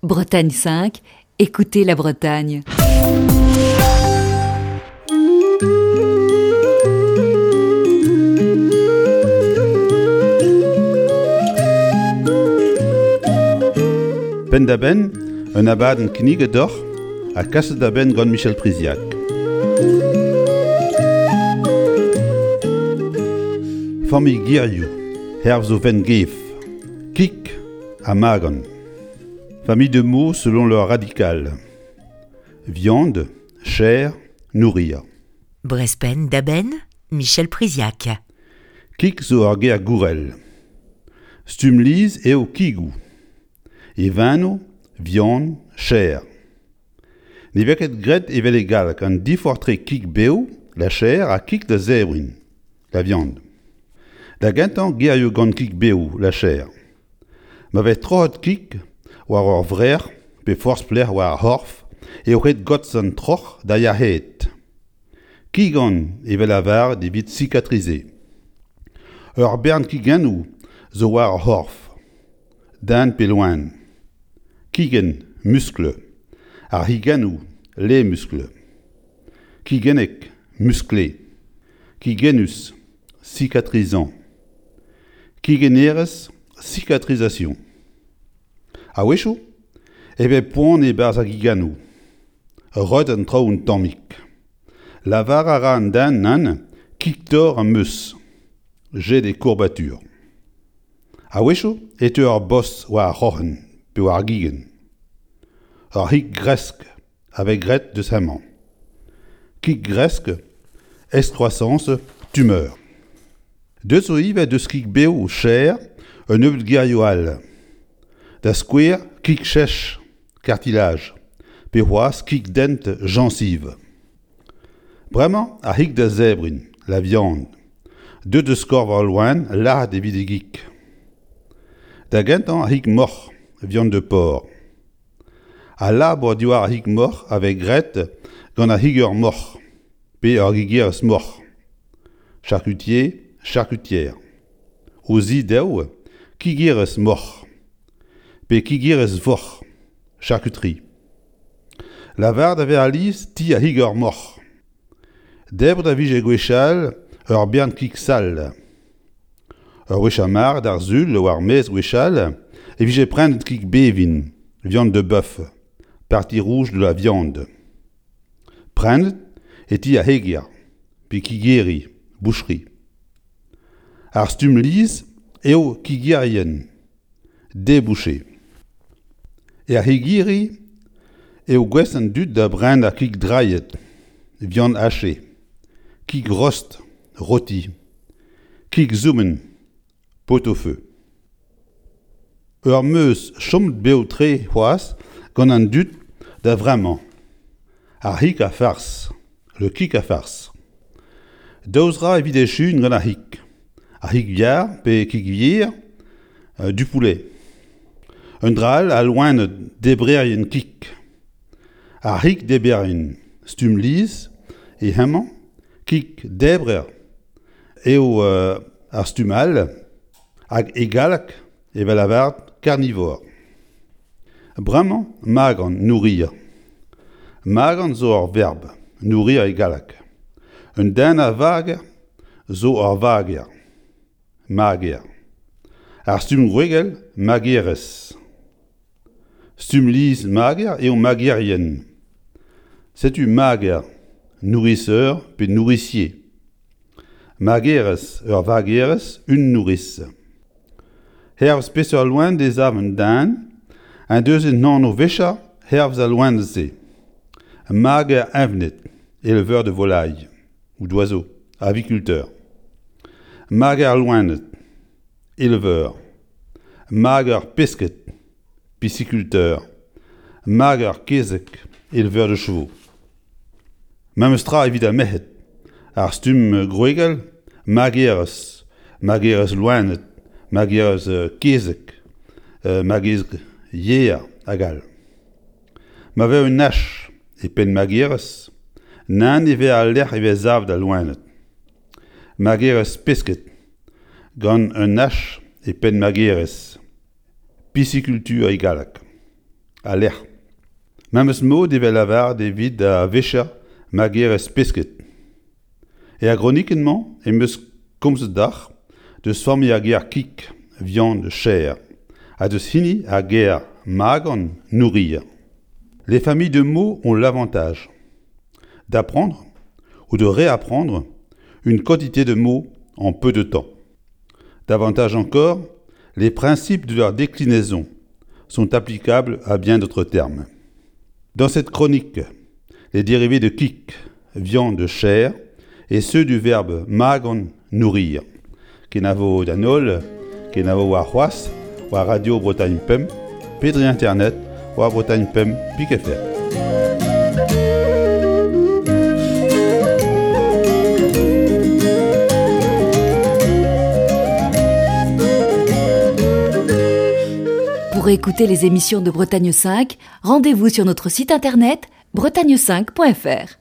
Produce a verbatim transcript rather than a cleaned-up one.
Bretagne cinq, écoutez la Bretagne. Penn-da-benn, un abadenn kinniget deoc'h ha kaset da benn gant Michel Priziac. Familh gerioù, hervez o vent-gef, kig ha magan. Famille de mots selon leur radical. Viande, chair, nourrir. Brezh Penn-da-Benn, Michel Priziac. Kig zo ur ger gourel. Stumm lies eo kigoù. E vano, viande, chair. Ne vez ket graet evel e galleg an diforc'h etre kig bev, la chair, ha kig da zebriñ, la viande. Da gentañ gerioù gant kig bev, la chair. Ma vez troc'het kig war ur vrec'h pe forzh pelec'h war ar c'horf eo ret gortoz an troc'h da yac'haat. Kigan e vez lavaret evit cicatriser. Ur bern kigennoù zo war ar c'horf, den pe loen. Kigenn, muscle. Ar c'higennoù, les muscles. Kigennek, musclé. Kigennus, cicatrisant. Kigennerezh, cicatrisation. A-wechoù e vez poan e-barzh ar gigennoù. Reut an traoù un tammig. Lavar a ra an den nann, kig-torr am eus. J'ai des courbatures. A-wechoù e teu ur bos war ar c'hroc'hen pe war ar gigenn. Ur c'hig-gresk a vez graet deus hemañ. Kig-gresk, excroissance, tumeur. Deut zo ivez deus kig bev chair un nebeud gerioù all. Da skouer kig-chech, cartilage, pe c'hoazh kig-dent gencive. Bremañ ar c'hig da zebriñ, la viande. Deut eus korf al loen lazhet evit e gig. Da gentañ ar c'hig moc'h, viande de porc. Al labour diwar ar c'hig moc'h a vez graet gant ar c'higer moc'h, pe ar gigerez moc'h. Charcutier, charcutière. O zi dezho, kigerez moc'h, pe kigerez voc'h, charcuterie. Lavaret a vez alies ti ar c'higer moc'h. Debret a vije gwechall ur bern kig sall. Ur wech ar mare d'ar Sul war maez gwechall e vije prenet kig bevin, viande de bœuf, partie rouge de la viande. Prenet e ti ar c'heger, pe kigeri, boucherie. Ar stumm lies eo kigerien, des bouchers. Er c'hegiri eo gouest an dud da brenañ ar kig drailhet, viande hachée, kig rost, rôti, kig soubenn, pot-au-feu. Ur meuz chomet bev-tre c'hoazh gant an dud da vremañ. Ar c'hig a fars, le kig a fars. Daou zra evit echuiñ gant ar c'hig. Ar c'hig yar pe kig yer, du poulet. Un dra all a loened debrerien kig. Ar c'hig debrerien, stumm lies eo hemañ, kig debrer eo ar stumm all hag e galleg e vez lavaret carnivore. Bremañ magan, nourrir. Magan zo ur verb, nourrir e galleg. Un den a vager zo ur vager. Mager. Ar stumm gwregel, magerez. Stumm lies mager eo magerien. Setu mager, nourrisseur pe nourricier. Magerez, ur vagerez, une nourrice. Hervez peseurt loen e sav un den, en deus un anv wechañ hervez al loen-se. Mager evned, éleveur de volailles ou d'oiseaux, aviculteur. Mager loened, éleveur. Mager pesked, pisciculteur. Mager kezeg, éleveur de chevaux. Memes tra evit ar merc'hed. Ar stumm gwregel, magerez, magerez loened, magerez kezeg, magerez yer hag all. Ma vez un H e penn magerez, nann e vez al lec'h e vez savet al loened. Magerez pesked, gant un H e penn magerez. Pisciculture e galleg. a lec'h. Memes mod evel lavaret evit a vecher magerez pesked. E ar gronikenn-mañ em eus komzet deoc'h deus familh ar ger kig, viande, chair, ha deus hini ar ger magan, nourrir. Les familles de mots ont l'avantage d'apprendre ou de réapprendre une quantité de mots en peu de temps. Davantage encore, les principes de leur déclinaison sont applicables à bien d'autres termes. Dans cette chronique, les dérivés de kig, viande, chair, et ceux du verbe magan, nourrir. Kenavo d'an holl, kenavo warc'hoazh, war Radio Bretagne Pemp, pe dre internet, war Bretagne Pemp pik F R. Pour écouter les émissions de Bretagne cinq, rendez-vous sur notre site internet bretagne cinq point F R.